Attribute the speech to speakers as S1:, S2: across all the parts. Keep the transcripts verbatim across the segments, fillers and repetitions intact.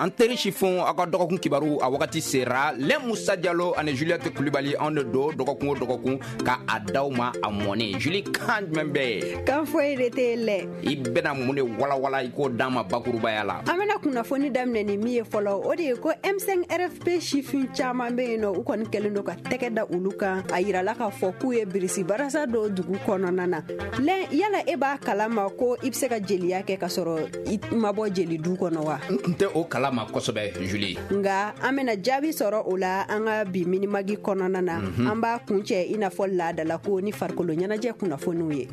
S1: An teri sifinw, aw ka dɔgɔkun kibaru a wagati sera. Lɛ Musa Jalo ani Juliette Kulibali, anw de don dɔgɔkun o dɔgɔkun ka a d'aw ma a mɔni. Julie, kan jumɛn bɛ yen?
S2: Kan foyi de tɛ yen lɛ.
S1: I bɛna mun de walawala i k'o d'an ma bakurubaya la?
S2: An bɛna kunnafoni daminɛ ni min ye fɔlɔ, o de ye ko M cinq R F P sifin caman bɛ yen nɔ, u kɔni kɛlen don ka tɛgɛ da olu kan. A yirala k'a fɔ k'u ye birisi barasa dɔ dugu kɔnɔna na. Lɛ, yala e b'a kalama ko i bɛ se ka jeliya kɛ ka sɔrɔ i ma bɔ jeli du kɔnɔ wa?
S1: N tun tɛ o kalama kosɛbɛ, Julie.
S2: Nga an bɛna jaabi sɔrɔ o la an ka bi Mini Mag kɔnɔna na. An b'a kuncɛ i n'a fɔ laadala ko ni farikolo ɲɛnajɛ kunnafoniw ye.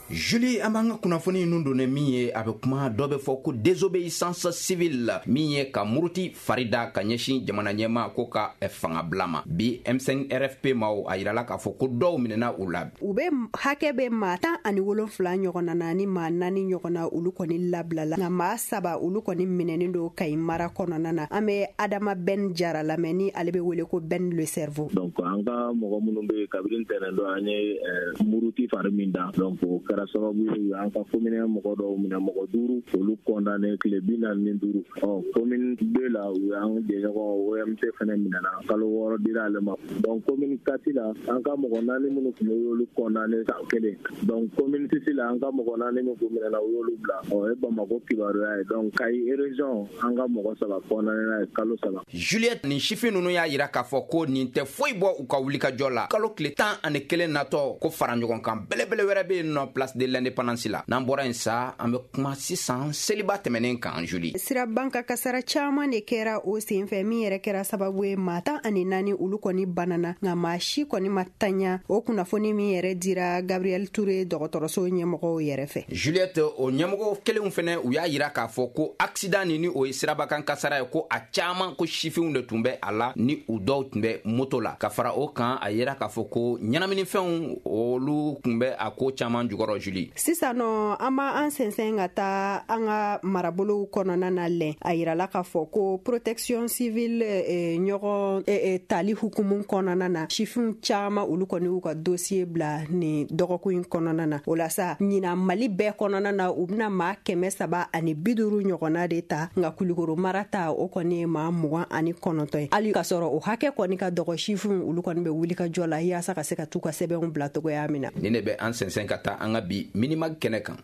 S1: Julie, an b'an ka kunnafoni ninnu don ni min ye, a bɛ kuma dɔ bɛ fɔ ko désobéissance civile, min ye ka muruti fari da ka ɲɛsin jamana ɲɛma ko ka fanga bila ma. Bi M cinq R F P maaw, a yirala k'a fɔ ko dɔw minɛna u la.
S2: U bɛ hakɛ bɛ maa tan ani wolonfila ɲɔgɔnna na ni maa naani ɲɔgɔn na, olu kɔni labilala, nka maa saba, olu kɔni minɛnen don Kayi mara kɔnɔna na. An bɛ Adama Ben Jara lamɛn, ni ale bɛ wele ko Ben le cerveau.
S3: Donc an ka mɔgɔ minnu bɛ yen, kabini ntɛnɛn don an ye muruti fari min da, donc o kɛra sababu ye an ka commune mɔgɔ dɔw minɛ, mɔgɔ duuru, olu condamné tile bi naani ni duuru. Ɔ commune deux la, u y'an jɛɲɔgɔn O M T fɛnɛ minɛna, kalo wɔɔrɔ dira ale ma. Donc commune quatre la, an ka mɔgɔ naani minnu tun bɛ, u y'olu condamné san kelen. Donc commune six la, an ka mɔgɔ naani min tun minɛna, u y'olu bila. Ɔ o ye Bamako kibaruya ye. Donc Kayi région, an ka mɔgɔ saba condamné n'a ye kalo saba.
S1: Juliette, nin sifin ninnu y'a yira k'a fɔ ko nin tɛ foyi bɔ u ka wulikajɔ la. Kalo tile tan ani kelen natɔ, ko fara ɲɔgɔn kan belebele wɛrɛ bɛ yen nɔ, place de l'Indépendance la. N'an bɔra yen sa, an bɛ kuma sisan seliba tɛmɛnen kan, Julie.
S2: Sirabanka kasara caman de kɛra o senfɛ, min yɛrɛ kɛra sababu ye maa tan ani naani, olu kɔni banana, nka maa si kɔni ma taɲa. O kunnafoni min yɛrɛ dira Gabriel Ture dɔgɔtɔrɔso ɲɛmɔgɔw yɛrɛ fɛ.
S1: Juliette, o ɲɛmɔgɔ kelenw fɛnɛ, u y'a yira k'a fɔ ko accident ni ni o ye sirabakan kasara ye, ko a caaman ko sifinw de tun bɛ a la, ni u dɔw tun bɛ moto la. Ka fara o kan, a yira k'a fɔ ko ɲɛnaminifɛnw, olu tun bɛ a ko caaman jukɔrɔ, Julie.
S2: Sisan nɔ, an b'an sɛnsɛn ka taa an ka marabolow kɔnɔna na. Lɛn, a yirala k'a fɔ ko protection civile eh, ɲɔgɔn eh, eh, tali hukumu kɔnɔna na, sifinw caaman, olu kɔni y'u ka dossier bila nin dɔgɔkun in kɔnɔna na. O la sa, ɲina Mali bɛɛ kɔnɔna na, u bɛna maa kɛmɛ saba ani bi duuru ɲɔgɔnna de ta, nka Kulikoro mara ta, o kɔni ye maa mugan ani kɔnɔntɔn ye. Hali k'a sɔrɔ o hakɛ kɔni ka dɔgɔ, sifinw, olu kɔni bɛ wuli ka jɔ la yaasa ka se ka t'u ka sɛbɛnw bila togoya min na.
S1: Nin de bɛ an sɛnsɛn ka taa an ka bi Mini Mag kɛnɛ kan.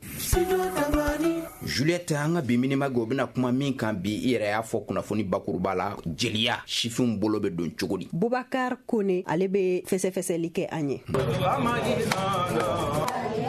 S1: Juliette, an ka bi Mini Mag, o bɛna kuma min kan bi, i yɛrɛ y'a fɔ kunnafoni bakuruba la, jeliya, sifinw bolo bɛ don cogo di?
S2: Bubakar Kone, ale bɛ fɛsɛfɛsɛli kɛ an ye.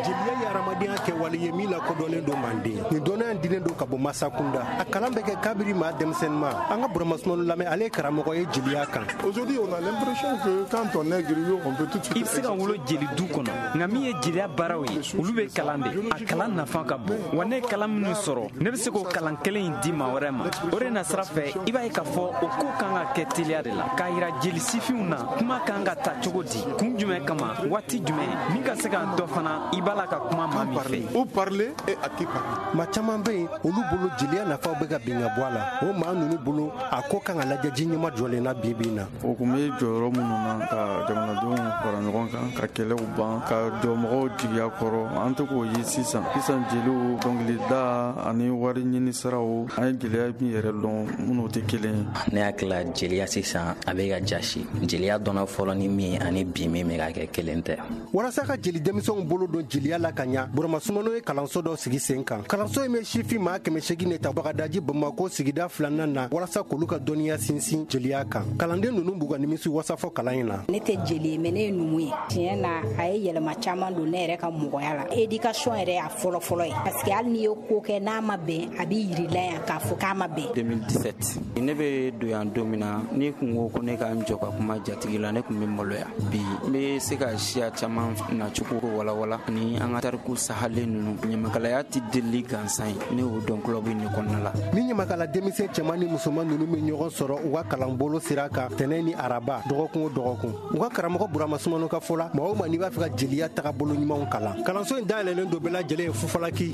S4: Jeliya ye hadamadenya kɛwale ye min lakodɔnnen don manden. Nin dɔnniya dilen don ka bɔ masa kunda, a kalan bɛ kɛ kabiri maa denmisɛnninma. An ka Buramasumanu lamɛn, ale ye karamɔgɔ ye jeliya kan.
S5: Aujourd'hui, on a l'impression que quand on est griot, on peut tout de suite.
S6: I bɛ se ka wolo jeli du kɔnɔ, nka min ye jeliya baaraw ye, olu bɛ kalan de. A kalan nafa ka bon wa. Ne ye kalan minnu sɔrɔ, ne bɛ se k'o kalan kelen in di maa wɛrɛ ma. O de nasira fɛ, i b'a ye k'a fɔ o ko kan ka kɛ teliya de la, k'a yira jeli sifinw na kuma kan ka ta cogo di, kun jumɛn kama, waati jumɛn, min ka se ka dɔ fana i b'a la ka kuma maa min fɛ.
S5: Où parler et à qui parler.
S4: Maa caman bɛ yen, olu bolo jeliya nafaw bɛ ka bin ka bɔ a la. O maa ninnu bolo, a ko kan ka lajɛ ji ɲɛma jɔlen na bi bi in na.
S7: O kun bɛ jɔyɔrɔ minnu na ka jamanadenw fara ɲɔgɔn kan, ka kɛlɛw ban, ka jɔ mɔgɔw jigiya kɔrɔ, an tɛ k'o ye sisan. Sisan jeliw, dɔnkilida ani wari ɲini siraw, an ye gɛlɛya min yɛrɛ dɔn, minnu tɛ kelen ye.
S8: Ne hakili la, jeliya sisan a bɛ ka jasi. Jeliya dɔnna fɔlɔ ni min ani bi min bɛ ka kɛ, kelen tɛ.
S4: Walasa ka jeli denmisɛnw bolo don jeliya la ka ɲa, Buramasumano ye kalanso dɔ sigi sen kan. Kalanso in bɛ sifin maa kɛmɛ segin de ta Bagadaji, Bamako sigida filanan na, walasa k'olu ka dɔnniya sinsin jeliya kan. Kalanden ninnu b'u ka nimisi wasa fɔ kalan in na.
S9: Ne tɛ jeli ye, mais ne ye numu ye. Tiɲɛ na, a ye yɛlɛma caman don ne yɛrɛ ka mɔgɔya la. Éducation yɛrɛ y'a fɔlɔ-fɔlɔ ye, parce que hali n'i ye ko kɛ n'a ma bɛn, a b'i yirila yan k'a fɔ k'a ma bɛn.
S10: deux mille dix-sept, ne bɛ don yan don min na, ni kun ko ko ne ka n jɔ ka kuma jatigi la, ne kun bɛ maloya. Bi n bɛ se ka siya caman nacogo walawala ni an ka tariku sahalen ninnu. Ɲamakalaya tɛ delili gansan ye, ne y'o dɔn club in de kɔnɔna la.
S4: Ni ɲamakala denmisɛn cɛman ni musoman ninnu bɛ ɲɔgɔn sɔrɔ u ka kalanbolo sira kan tɛnɛ ni araba, dɔgɔkun o dɔgɔkun. U ka karamɔgɔ Burama Sumano ka fɔ la, maa o maa n'i b'a fɛ ka jeliya tagabolo ɲumanw kalan, kalanso in dayɛlɛlen don bɛɛ lajɛlen ye fufalaki.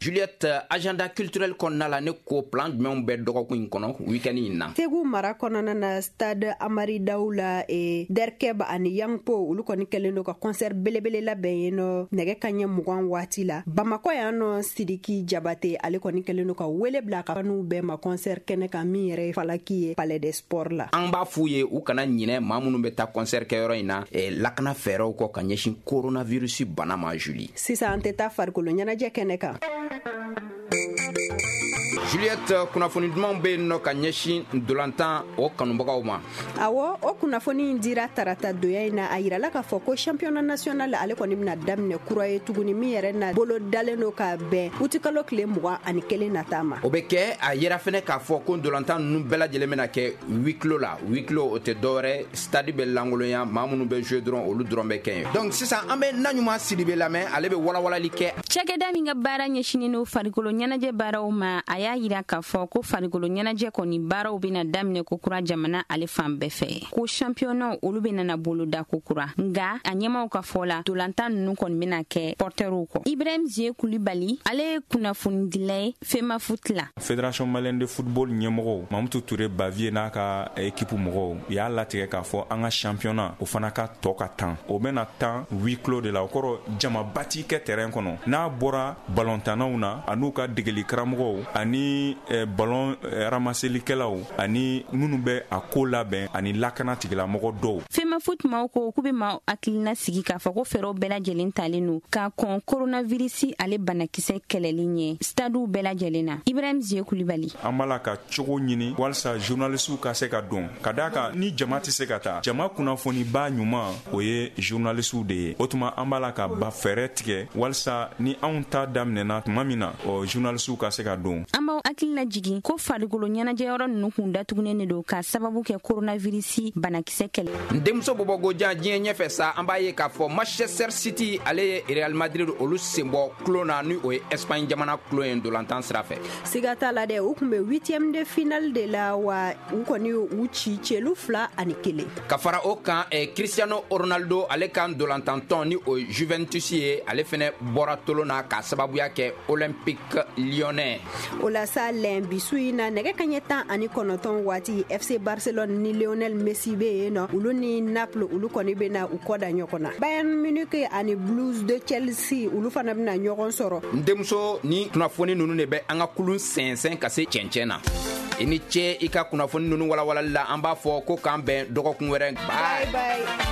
S1: Juliette, agenda culturel kɔnɔna la, ne ko plan jumɛnw bɛ dɔgɔkun in kɔnɔ, weekend in na?
S2: Segu mara kɔnɔna na, stade Amari Daw la, e, Derkeb ani Yangpo, olu kɔni kɛlen don ka concert belebele labɛn yen nɔ nɛgɛ kaɲɛ mugan. mugan waati la Bamakɔ yan nɔ. Sidiki Jabate, ale kɔni kɛlen don ka wele bila ka n'u bɛɛ ma concert kɛnɛ kan, min yɛrɛ ye falaki ye Palais des Sports la.
S1: An b'a f'u ye u kana ɲinɛ maa minnu bɛ taa concert kɛyɔrɔ in na, eh, lakana fɛɛrɛw kɔ ka ɲɛsin coronavirus bana ma, Julie.
S2: Sisan an tɛ taa farikolo ɲɛnajɛ kɛnɛ kan.
S1: Juliette, kunnafoni dumanw bɛ yen nɔ ka ɲɛsin ndolantan o kanubagaw ma.
S2: Awɔ, o kunnafoni in dira tarata donya in na. A yirala k'a fɔ ko championnat national, ale kɔni bɛna daminɛ kura ye tuguni, min yɛrɛ na bolo dalen don ka bɛn utikalo tile mugan ani kelen nata ma.
S1: O bɛ kɛ. A yira fɛnɛ k'a fɔ ko ndolantan ninnu bɛɛ lajɛlen bɛna kɛ huis clos la. Huis clos, o tɛ dɔwɛrɛ, stade bɛ lankolonya, maa minnu bɛ jouer dɔrɔn, olu dɔrɔn bɛ kɛ yen. Donc sisan an bɛ Naɲuman Sidibe lamɛn, ale bɛ walawalali kɛ.
S11: Cakɛda min ka baara ɲɛsinin no farikolo ɲɛnajɛ baaraw ma, a y'a yira k'a fɔ ko farikolo ɲɛnajɛ kɔni baaraw bɛna daminɛ kokura jamana ale fan bɛɛ fɛ, ko championnat olu bɛna na boloda kokura. Nga a ɲɛmaw ka fɔ la, dolantan ninnu kɔni bɛna kɛ portɛriw kɔ. Ibrahim Zie Kulibali, ale ye kunnafonidila ye Femafoot la.
S12: Fédération malienne de football ɲɛmɔgɔw, Mamutu Ture Bavier n'a ka équipe mɔgɔw, u y'a latigɛ k'a fɔ an ka championnat o fana ka tɔ ka tan, o bɛna tan huis clos de la. O kɔrɔ, jamaba ti kɛ terrain kɔnɔ, n'a bɔra balontannaw na an'u ka degeli karamɔgɔw ani eh, ballon eh, ramaselikɛlaw ani minnu bɛ a ko labɛn ani lakana tigilamɔgɔ dɔw.
S11: Femafoot maaw ko k'u bɛ maaw hakilina sigi k'a fɔ ko fɛɛrɛw bɛɛ lajɛlen talen don k'a kɔn coronavirus ale banakisɛ kɛlɛli ɲɛ stadiw bɛɛ lajɛlen na. Ibrahim Zie Kulibali.
S12: An b'a la ka cogo ɲini walasa journalisiw ka se ka don, ka d'a kan ni jama tɛ se ka taa, jama kunnafoniba ɲuman o ye journalisiw de ye. O tuma an b'a la ka ba fɛɛrɛ tigɛ walasa ni anw ta daminɛna tuma min na, ɔ journalisiw ka se ka don.
S11: An b'aw hakili lajigin ko farikolo ɲɛnajɛyɔrɔ ninnu kun datugunen de don k'a sababu kɛ coronavirus banakisɛ kɛlɛ.
S1: N denmuso bɔbɔgojan, diɲɛ ɲɛfɛ sa, an b'a ye k'a fɔ Manchester City, ale ye Real Madrid olu senbɔ kulon na, ni o ye Espagne jamana kulon ye ndolantan sira fɛ.
S2: Siga t'a la dɛ, u kun bɛ huitième de finale de la wa, u kɔni y'u ci celu fila ani kelen.
S1: Ka fara o kan, eh, Cristiano Ronaldo, ale ka ndolantantɔn ni o ye Juventus ye, ale fɛnɛ bɔra tolon na k'a sababuya kɛ Olympique Lyonnais.
S2: O la sa lɛn, bisu in na, nɛgɛ kaɲɛ tan ani kɔnɔntɔn waati, F C Barcelone ni Lionel Messi bɛ yen nɔ, olu ni Naples, olu kɔni bɛna u kɔ da ɲɔgɔn na. Bayern Munich ani Blues de Chelsea, olu fana bɛna ɲɔgɔn sɔrɔ.
S1: N denmuso, ni kunnafoni ninnu de bɛ an ka kulun sɛnsɛn ka se cɛncɛn na. I ni ce i ka kunnafoni ninnu walawalali la. An b'a fɔ ko k'an bɛn dɔgɔkun wɛrɛ.
S2: Bye bye.